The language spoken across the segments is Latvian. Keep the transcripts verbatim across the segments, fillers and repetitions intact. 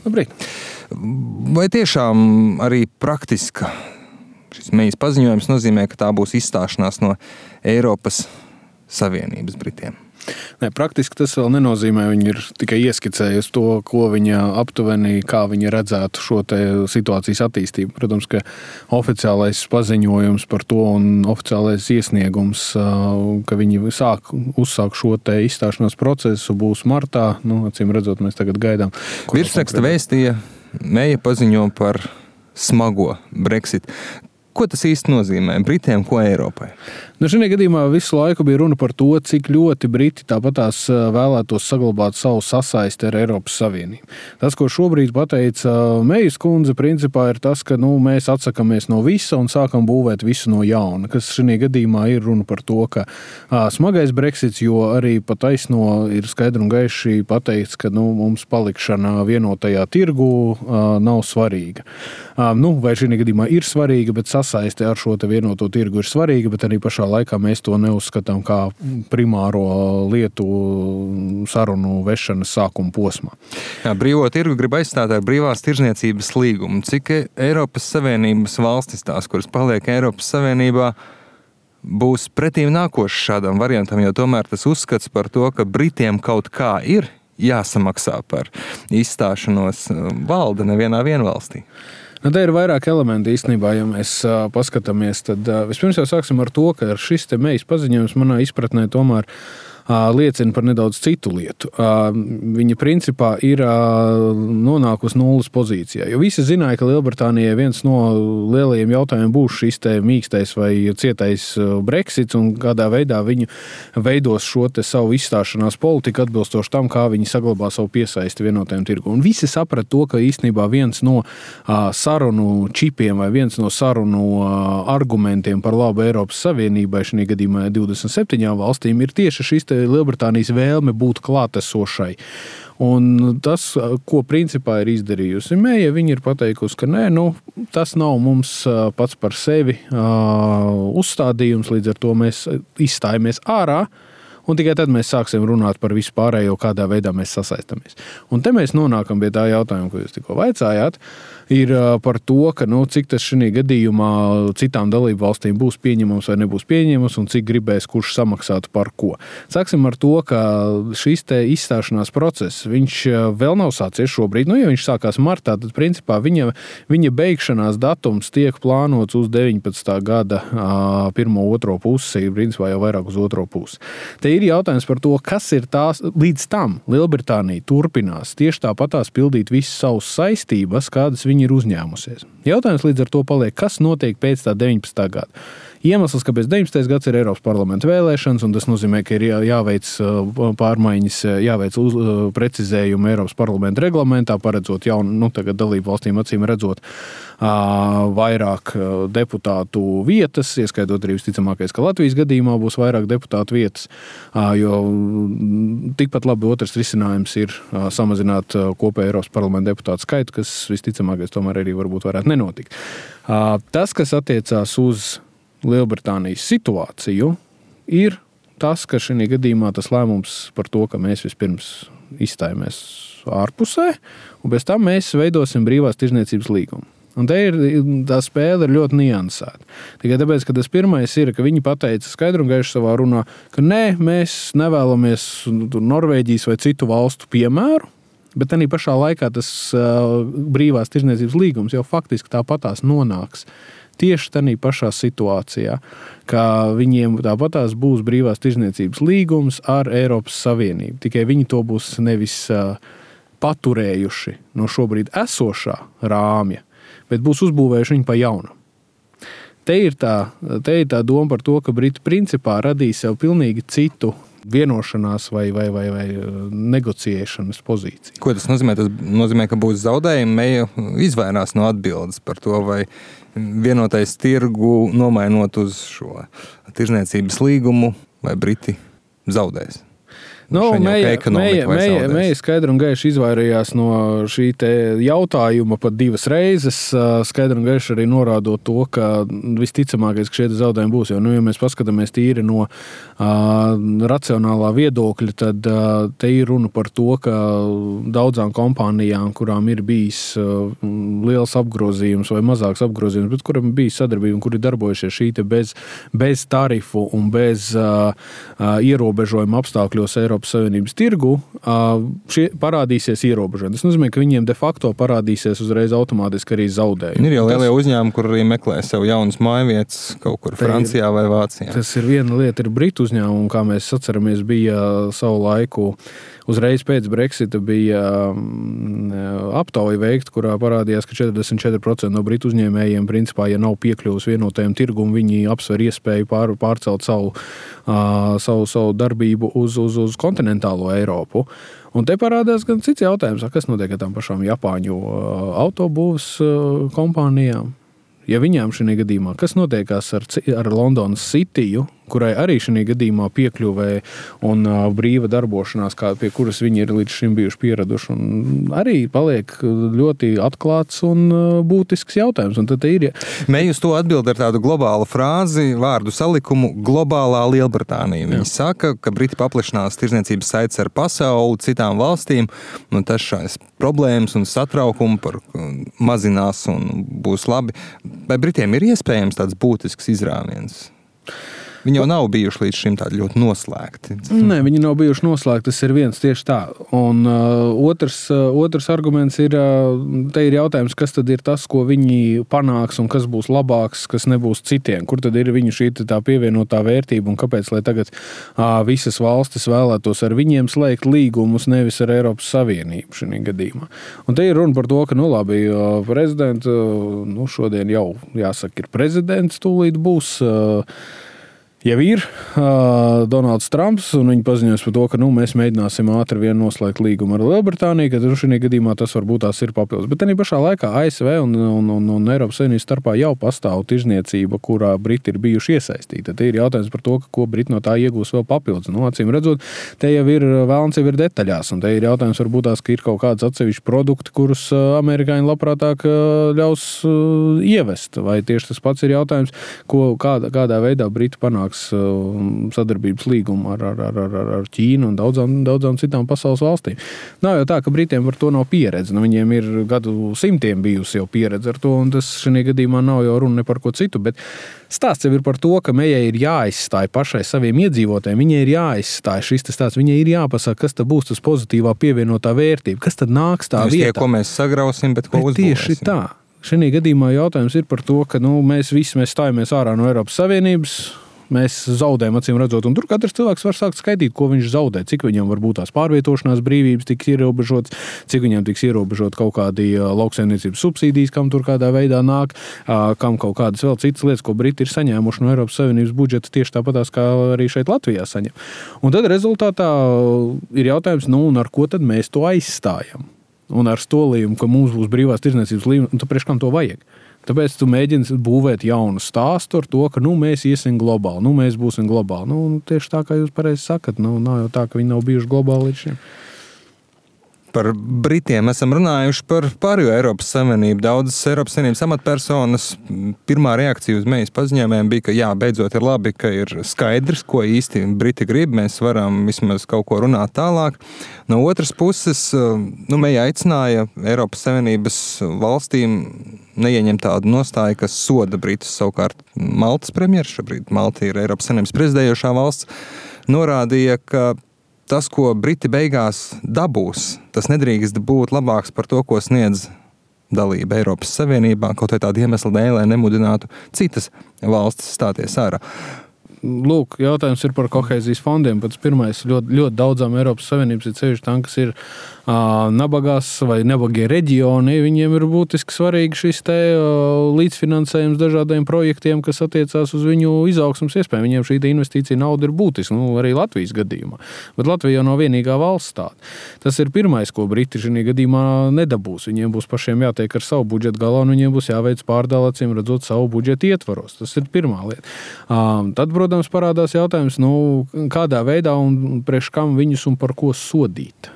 Labrīt. Vai tiešām arī praktiska šis Mejas paziņojums nozīmē, ka tā būs izstāšanās no Eiropas Savienības Britiem? Nē, praktiski tas vēl nenozīmē, viņi ir tikai ieskicējusi to, ko viņa aptuveni, kā viņa redzētu šo te situācijas attīstību. Protams, ka oficiālais paziņojums par to un oficiālais iesniegums, ka viņi sāk, uzsāk šo te izstāšanās procesu, būs martā. Nu, acīm redzot, mēs tagad gaidām. Virsraksta vēstīja, Meja paziņo par smago Brexit. Ko tas īsti nozīmē Britiem, ko Eiropai? Nu, šajā gadījumā visu laiku bija runa par to, cik ļoti Briti tāpatās vēlētos saglabāt savu sasaisti ar Eiropas Savienību. Tas, ko šobrīd pateica Mejas kundze, principā ir tas, ka nu, mēs atsakamies no visa un sākam būvēt visu no jauna. Kas šajā gadījumā ir runa par to, ka ā, smagais Brexits, jo arī pa taisno ir skaidri un gaiši pateikts, ka nu, mums palikšana vienotajā tirgu ā, nav svarīga. Ā, nu, vai šajā gadījumā ir svarīga, bet sasaiste ar šo te vienoto tirgu ir svarīga, bet arī pašā laikā mēs to neuzskatām kā primāro lietu sarunu vešanas sākuma posmā. Jā, brīvo tirgu grib aizstāt ar brīvās tirzniecības līgumu. Cik Eiropas Savienības valstis, tās, kuras paliek Eiropas Savienībā, būs pretīm nākoši šādam variantam, jo tomēr tas uzskats par to, ka Britiem kaut kā ir jāsamaksā par izstāšanos valda nevienā vienvalstī. Nu, te ir vairāk elementi īstenībā, ja mēs uh, paskatāmies, tad uh, vispirms jau sāksim ar to, ka šis te Mejas paziņojums manā izpratnē tomēr uh, liecina par nedaudz citu lietu. Uh, viņa principā ir uh, nonākusi nulles pozīcijā, jo visi zināja, ka Lielbritānijai viens no lielajiem jautājumiem būs šis te mīkstais vai cietais Brexits un kādā veidā viņi veidos šo te savu izstāšanās politiku atbilstoši tam, kā viņi saglabā savu piesaisti vienotajam tirgu. Un visi saprata to, ka īstenībā viens no uh, sarunu čipiem vai viens no sarunu uh, argumentiem par labu Eiropas Savienībai, šajā gadījumā divdesmit septiņām valstīm, ir tieši šis te Lielbritānijas vēlme būt klātesošai. Un tas, ko principā ir izdarījusi Meja, viņa ir pateikusi, ka nē, nu, tas nav mums pats par sevi uh, uzstādījums, līdz ar to mēs izstājamies ārā, un tikai tad mēs sāksim runāt par visu pārējo, kādā veidā mēs sasaistamies. Un te mēs nonākam pie tā jautājuma, ko jūs tikko vaicājāt, ir par to, ka, nu, cik tas šajā gadījumā citām dalību valstīm būs pieņemams vai nebūs pieņemams un cik gribēs, kurš samaksātu par ko. Sāksim ar to, ka šis te izstāšanās process, viņš vēl nav sācies šobrīd. Nu, ja viņš sākās martā, tad principā viņa, viņa beigšanās datums tiek plānots uz deviņpadsmitā gada pirmo, otro pusi, principā jau vairāk uz otro pusi. Te ir jautājums par to, kas ir tās, līdz tam Lielbritānija turpinās tieši tāpatās pildīt visas savas saistības, kādas viņi ir uzņēmusies. Jautājums līdz ar to paliek, kas notiek pēc tā deviņpadsmitā gada. Iemesls, kāpēc deviņpadsmitais gads ir Eiropas parlamenta vēlēšanas, un tas nozīmē, ka ir jāveic pārmaiņas, jāveic uz, precizējumu Eiropas parlamenta reglamentā, paredzot jaunu, nu, tagad dalību valstīm acīm redzot vairāk deputātu vietas, ieskaitot arī visticamākais, ka Latvijas gadījumā būs vairāk deputātu vietas, jo tikpat labi otrs risinājums ir samazināt kopēju Eiropas parlamenta deputātu skaitu, kas visticamākais tomēr arī varbūt varētu nenotikt. Tas, kas attiecās uz Lielbritānijas situāciju, ir tas, ka šajā gadījumā tas lēmums par to, ka mēs vispirms izstājamies ārpusē, un bez tam mēs veidosim brīvās tirzniecības līgumu. Un te ir, tā spēle ir ļoti niansēta. Tikai tāpēc, ka tas pirmais ir, ka viņi pateica skaidru un gaišu savā runā, ka nē, mēs nevēlamies Norvēģijas vai citu valstu piemēru, bet arī pašā laikā tas uh, brīvās tirzniecības līgums jau faktiski tāpatās nonāks tieši tādā pašā situācijā, ka viņiem tāpatās būs brīvās tirzniecības līgums ar Eiropas Savienību. Tikai viņi to būs nevis uh, paturējuši no šobrīd esošā rāmja, bet būs uzbūvējuši viņu pa jaunu. Te ir tā, te ir tā doma par to, ka Briti principā radīs sev pilnīgi citu vienošanās vai, vai, vai, vai negociēšanas pozīciju. Ko tas nozīmē? Tas nozīmē, ka būs zaudējumi. Meja izvairās no atbildes par to, vai vienotais tirgu nomainot uz šo tirzniecības līgumu, vai Briti zaudēs. Nu, Meija, Meija, Meija, Meija skaidri un gaiši izvairījās no šī te jautājuma pat divas reizes. Skaidri un gaiši arī norādot to, ka visticamākais, ka šie zaudējumi būs. Jo, nu, ja mēs paskatāmies tīri no uh, racionālā viedokļa, tad uh, te ir runa par to, ka daudzām kompānijām, kurām ir bijis uh, liels apgrozījums vai mazāks apgrozījums, bet kuram ir bijis sadarbība un kuri darbojušies šī te bez, bez tarifu un bez uh, uh, ierobežojuma apstākļos Eiropas Savienības tirgu, šie parādīsies ierobežojumi. Tas nozīmē, ka viņiem de facto parādīsies uzreiz automātiski arī zaudējumi. Ir jau lielie uzņēmumi, kur arī meklē sev jaunas mājvietas kaut kur Francijā vai Vācijā. Tas ir viena lieta, ir Britu uzņēmumi, kā mēs atceramies, bija savu laiku uzreiz pēc Brexita bija aptauja veikta, kurā parādījās, ka četrdesmit četri procenti no Britu uzņēmējiem, principā, ja nav piekļuvis vienotajam tirgum, viņi apsver iespēju pār, pārcelt savu, uh, savu, savu darbību uz, uz, uz kontinentālo Eiropu. Un te parādās gan cits jautājums, kas notiek ar tām pašām Japāņu uh, autobūvas uh, kompānijām. Ja viņām šī gadījumā, kas notiekās ar, ar Londonas Cityju, kurai arī šī gadījumā piekļuvē un uh, brīva darbošanās, kā, pie kuras viņi ir līdz šim bijuši pieraduši, un arī paliek ļoti atklāts un uh, būtisks jautājums. Un tad ir, ja... Meija uz to atbild ar tādu globālu frāzi, vārdu salikumu globālā Lielbritānija. Viņi Jā. saka, ka Briti paplašinās tirdzniecības saites ar pasauli, citām valstīm, un tas šais problēmas un satraukumu par mazinās un būs labi. Vai Britiem ir iespējams tāds būtisks izrāviens? Viņi jau nav bijuši līdz šim tādi ļoti noslēgti. Nē, viņi nav bijuši noslēgti, tas ir viens tieši tā. Un uh, otrs, uh, otrs arguments ir, uh, te ir jautājums, kas tad ir tas, ko viņi panāks un kas būs labāks, kas nebūs citiem. Kur tad ir viņu šī tā pievienotā vērtība un kāpēc, lai tagad uh, visas valstis vēlētos ar viņiem slēgt līgumus, nevis ar Eiropas Savienību šī gadījumā. Un te ir runa par to, ka, nu labi, uh, prezidents, uh, nu šodien jau jāsaka, ir prezidents, tūlīt būs... Uh, Jau ir uh, Donalds Trumps, un viņi paziņos par to, ka nu, mēs mēģināsim ātri vien noslēgt līgumu ar Lielbritāniju, ka šī gadījumā tas varbūt tās ir papildus. Bet arī pašā laikā A S V un, un, un, un Eiropas Savienības starpā jau pastāv tirzniecība, kurā Briti ir bijuši iesaistīti. Tad ir jautājums par to, ko Briti no tā iegūs vēl papildus. Nu, acīm redzot, te jau ir vēlns jau ir detaļās, un te ir jautājums varbūt tās, ka ir kaut kāds atsevišķi produkti, kurus amerikāņi labprātāk ļaus ievest. Vai tieši tas pats ir jautājums, ko, kādā, kādā veidā Briti panāks sadarbības līgumu ar, ar, ar, ar Ķīnu un daudzām, daudzām citām pasaules valstīm. Nav jau tā, ka Britiem par to nav pieredze. Nu, viņiem ir gadu simtiem bijusi jau pieredze ar to, un tas šī gadījumā nav jau runa ne par ko citu, bet stāsts jau ir par to, ka Meijai ir jāizstāj pašai saviem iedzīvotājiem, viņai ir jāizstāj šis stāsts, viņai ir jāpasaka, kas tad būs tas pozitīvā pievienotā vērtība, kas tad nāks tā vietā. Tie, ko mēs sagrausim, bet ko bet uzbūvēsim. Tieši tā. Šī gadījumā jautājums ir par to, ka nu, mēs visi mēs stājamies ārā no Eiropas Savienības, mēs zaudējam, acīm redzot, un tur katrs cilvēks var sākt skaitīt, ko viņš zaudē, cik viņam var būt tās pārvietošanās brīvības tiks ierobežotas, cik viņam tiks ierobežot kaut kādi lauksaimniecības subsīdijas, kam tur kādā veidā nāk, kam kaut kādas vēl citas lietas, ko Briti ir saņēmuši no Eiropas Savienības budžeta, tieši tāpatās, kā arī šeit Latvijā saņem. Un tad rezultātā ir jautājums, nu, un ar ko tad mēs to aizstājam? Un ar stolījumu, ka mums būs brīvās tirdzniecības līnija, un tu priekš kam to vajag? Tāpēc tu mēģini būvēt jaunu stāstu ar to, ka nu, mēs iesim globāli, nu, mēs būsim globāli. Nu, tieši tā, kā jūs pareizi sakat, nu, nav jau tā, ka viņi nav bijuši globāli līdz šim. Par Britiem esam runājuši par pārējo Eiropas Savienību. Daudzas Eiropas Savienības amatpersonas pirmā reakcija uz Meijas paziņojumiem bija, ka jā, beidzot ir labi, ka ir skaidrs, ko īsti Briti grib. Mēs varam vismaz kaut ko runāt tālāk. No otras puses, nu, Meija aicināja Eiropas Savienības valstīm neieņemt tādu nostāju, kas soda Britus. Savukārt Maltas premjeras, šobrīd Malta ir Eiropas Savienības prezidējošā valsts, norādīja, ka tas, ko Briti beigās dabūs, tas nedrīkst būt labāks par to, ko sniedz dalība Eiropas Savienībā, kaut vai tādu iemeslu dēļ, lai nemudinātu citas valstis stāties ārā. Lūk, jautājums ir par kohēzijas fondiem. Pats pirmais ļoti, ļoti daudzām Eiropas Savienības ir ceļš tam, kas ir nabagās vai nebagie reģioni, viņiem ir būtiski svarīgi šis te līdzfinansējums dažādiem projektiem, kas attiecās uz viņu izaugsmas iespēju. Viņiem šī investīcija nauda ir būtiska, nu, arī Latvijas gadījumā. Bet Latvija jau nav vienīgā valsts tāda. Tas ir pirmais, ko Briti šī gadījumā nedabūs. Viņiem būs pašiem jātiek ar savu budžetu galā, un viņiem būs jāveic pārdalāciem, redzot savu budžetu ietvaros. Tas ir pirmā lieta. Tad, protams, parādās jautājums, nu, kādā veidā un priekš kam viņus un par ko sodīt.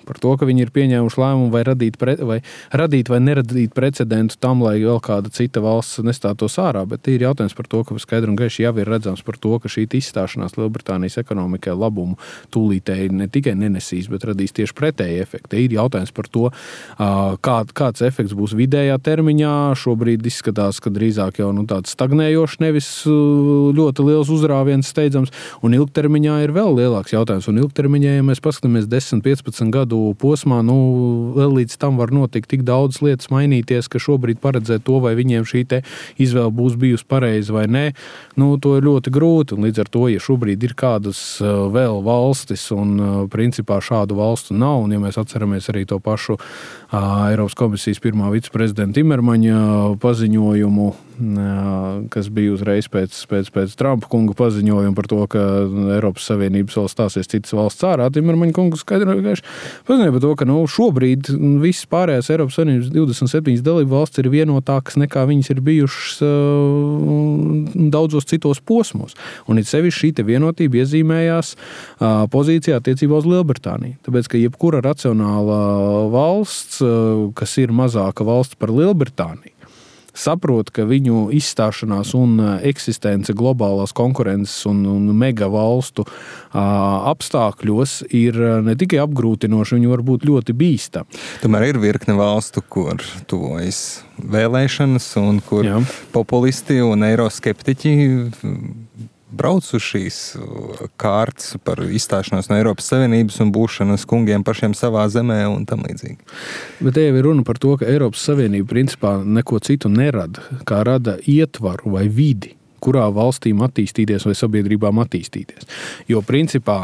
Par to, ka viņi ir pieņēmuši lēmumu vai radīt, pre, vai radīt vai neradīt precedentu tam, lai vēl kāda cita valsts nestātos ārā, bet ir jautājums par to, ka skaidri un gaiši jau ir redzams par to, ka šī izstāšanās Lielbritānijas ekonomikai labumu tūlītēji ne tikai nenesīs, bet radīs tieši pretēji efekti. Ir jautājums par to, kā, kāds efekts būs vidējā termiņā. Šobrīd izskatās, ka drīzāk jau nu, tāds stagnējošs, nevis ļoti liels uzrāviens steidzams, un ilgtermiņā ir vēl lielāks jautājums. Un ilgtermiņā, ja mēs paskatāmies desmit piecpadsmit gadu posmā, nu, vēl līdz tam var notikt tik daudz lietas mainīties, ka šobrīd paredzēt to, vai viņiem šī te izvēle būs bijusi pareiza vai nē, nu, to ir ļoti grūti. Un līdz ar to, ja šobrīd ir kādas vēl valstis un principā šādu valstu nav, un ja mēs atceramies arī to pašu Eiropas komisijas pirmā viceprezidenta Timermaņa paziņojumu, kas bija uzreiz pēc, pēc, pēc Trumpa kunga paziņojuma par to, ka Eiropas Savienības vēl stāsies citas valsts ārā, Timermaņa kungs skaidri paziņoja par to, ka nu, šobrīd visas pārējās Eiropas Savienības divdesmit septiņas dalību valsts ir vienotākas nekā viņas ir bijušas uh, daudzos citos posmos. Un it sevišķi šī te vienotība iezīmējās uh, pozīcijā attiecībā uz Lielbritāniju. Tāpēc, ka jebkura racionāla valsts, uh, kas ir mazāka valsts par Lielbritāniju, saprot, ka viņu izstāšanās un eksistence globālās konkurences un, un mega valstu a, apstākļos ir ne tikai apgrūtinoši, viņi var būt ļoti bīstami. Tomēr ir virkne valstu, kur tuvojas vēlēšanas un kur Jā. Populisti un eiroskeptiķi brauc uz šīs kārtas par izstāšanos no Eiropas Savienības un būšanas kungiem pašiem savā zemē un tam līdzīgi. Bet te jau ir runa par to, ka Eiropas Savienība principā neko citu nerada, kā rada ietvaru vai vidi, kurā valstīm attīstīties vai sabiedrībām attīstīties. Jo principā,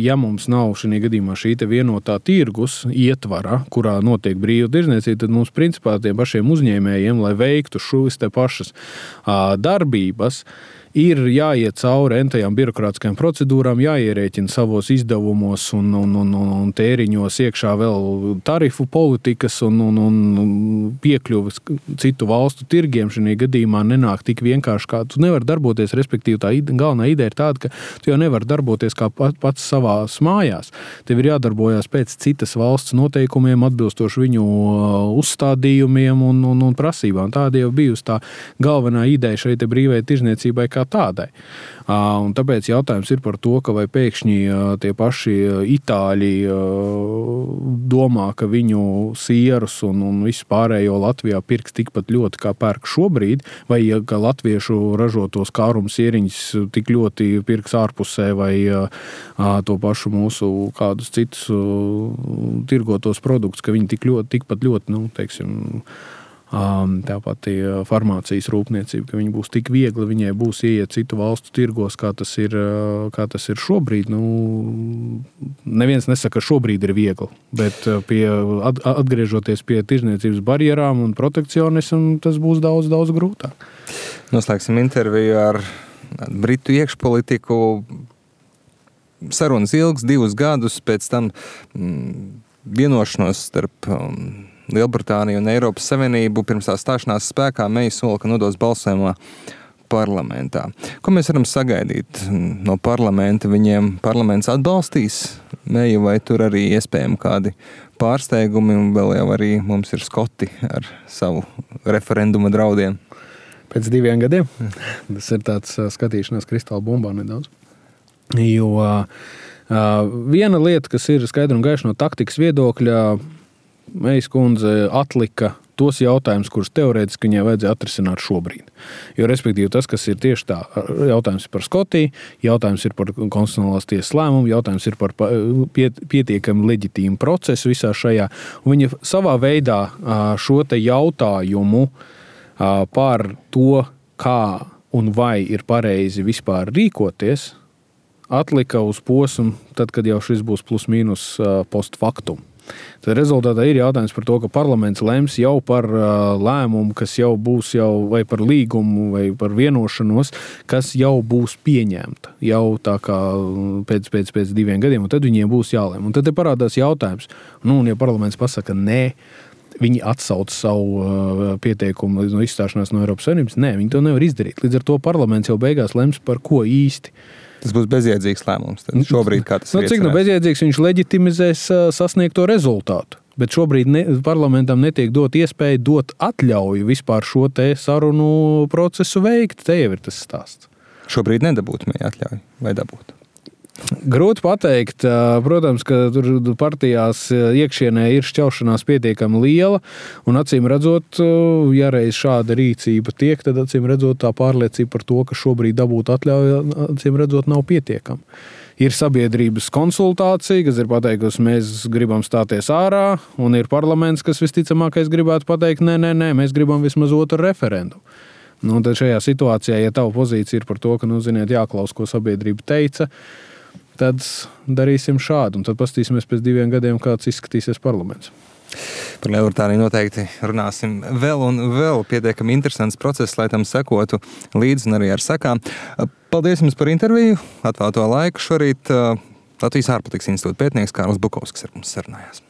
ja mums nav šī gadījumā šī te vienotā tirgus ietvara, kurā notiek brīva tirdzniecība, tad mums principā tiem pašiem uzņēmējiem, lai veiktu šīs te pašas darbības, ir jāiet cauri entajām birokrātiskajām procedūrām, jāierēķina savos izdevumos un, un, un, un tēriņos iekšā vēl tarifu politikas un, un, un piekļuvis citu valstu tirgiem. Šajā gadījumā nenāk tik vienkārši, kā tu nevari darboties, respektīvi tā ide, galvenā ideja ir tāda, ka tu jau nevari darboties kā pats savās mājās. Tev ir jādarbojās pēc citas valsts noteikumiem, atbilstoši viņu uzstādījumiem un, un, un prasībām. Tāda jau bijusi tā galvenā ideja šai te brīvai tirdzniecībai kā tādai. Un tāpēc jautājums ir par to, ka vai pēkšņi tie paši itāļi domā, ka viņu sierus un, un visu pārējo Latvijā pirks tikpat ļoti, kā pērk šobrīd, vai ka latviešu ražotos kārumu sieriņus tik ļoti pirks ārpusē, vai to pašu mūsu kādus citus tirgotos produktus, ka viņi tik ļoti, tikpat ļoti, nu, teiksim, tāpat farmācijas rūpniecība, ka viņi būs tik viegli, viņai būs ieiet citu valstu tirgos, kā tas ir, kā tas ir šobrīd. Nu, neviens nesaka, ka šobrīd ir viegli, bet pie, atgriežoties pie tirdzniecības barjerām un protekcionismu, tas būs daudz, daudz grūtāk. Noslēgsim interviju ar Britu iekšpolitiku. Sarunas ilgs, divus gadus, pēc tam mm, vienošanos starp um, Lielbritāniju un Eiropas Savienību pirms tā stāšanās spēkā Meija sola, ka nodos balsojumā parlamentā. Ko mēs varam sagaidīt no parlamenta? Viņiem parlaments atbalstīs Meiju vai tur arī iespējami kādi pārsteigumi, un vēl jau arī mums ir Skoti ar savu referenduma draudiem? Pēc diviem gadiem? Tas ir tāds skatīšanās kristāla bumbā nedaudz. Jo uh, viena lieta, kas ir skaidra un gaiša no taktikas viedokļa, Meijas kundze atlika tos jautājumus, kurus teorētiski viņai vajadzēja atrisināt šobrīd. Jo, respektīvi, tas, kas ir tieši tā, jautājums ir par Skotiju, jautājums ir par konstitucionālās tiesas lēmumu, jautājums ir par pietiekami leģitīmu procesu visā šajā. Un viņa savā veidā šo te jautājumu par to, kā un vai ir pareizi vispār rīkoties, atlika uz posmu, tad, kad jau šis būs plus mīnus post factum. Tad rezultātā ir jautājums par to, ka parlaments lems jau par uh, lēmumu, kas jau būs jau vai par līgumu, vai par vienošanos, kas jau būs pieņemta jau tā kā pēc, pēc, pēc diviem gadiem, un tad viņiem būs jālem. Un tad te parādās jautājums, nu, un ja parlaments pasaka nē, viņi atsauc savu uh, pieteikumu no izstāšanās no Eiropas Savienības, nē, viņi to nevar izdarīt. Līdz ar to parlaments jau beigās lems par ko īsti. Tas būs bezjēdzīgs lēmums. Tad šobrīd, kā tas nu, ir cik nu bezjēdzīgs, viņš leģitimizēs uh, sasniegto rezultātu. Bet šobrīd ne, parlamentam netiek dot iespēju dot atļauju vispār šo te sarunu procesu veikt. Te jau ir tas stāsts. Šobrīd nedabūtu mēs atļauju vai dabūtu? Grūti pateikt. Protams, ka tur partijās iekšienē ir šķaušanās pietiekami liela, un acīm redzot, ja reiz šāda rīcība tiek, tad acīm redzot tā pārliecība par to, ka šobrīd dabūt atļauju, acīm redzot, nav pietiekama. Ir sabiedrības konsultācija, kas ir pateikusi, mēs gribam stāties ārā, un ir parlaments, kas visticamākais gribētu pateikt, nē, nē, nē, mēs gribam vismaz otru referendumu. Nu, tad šajā situācijā, ja tava pozīcija ir par to, ka, nu, ziniet, jāklaus, ko sabiedrība teica, tad darīsim šādu, un tad pastīsimies pēc diviem gadiem, kāds izskatīsies parlaments. Par Lielbritāniju noteikti runāsim vēl un vēl. Pietiekami interesants process, lai tam sekotu līdzi un arī ar sekām. Paldies jums par interviju, atvēlto laiku šorīt. Latvijas ārpolitikas institūta pētnieks Kārlis Bukovskis ar mums sarunājās.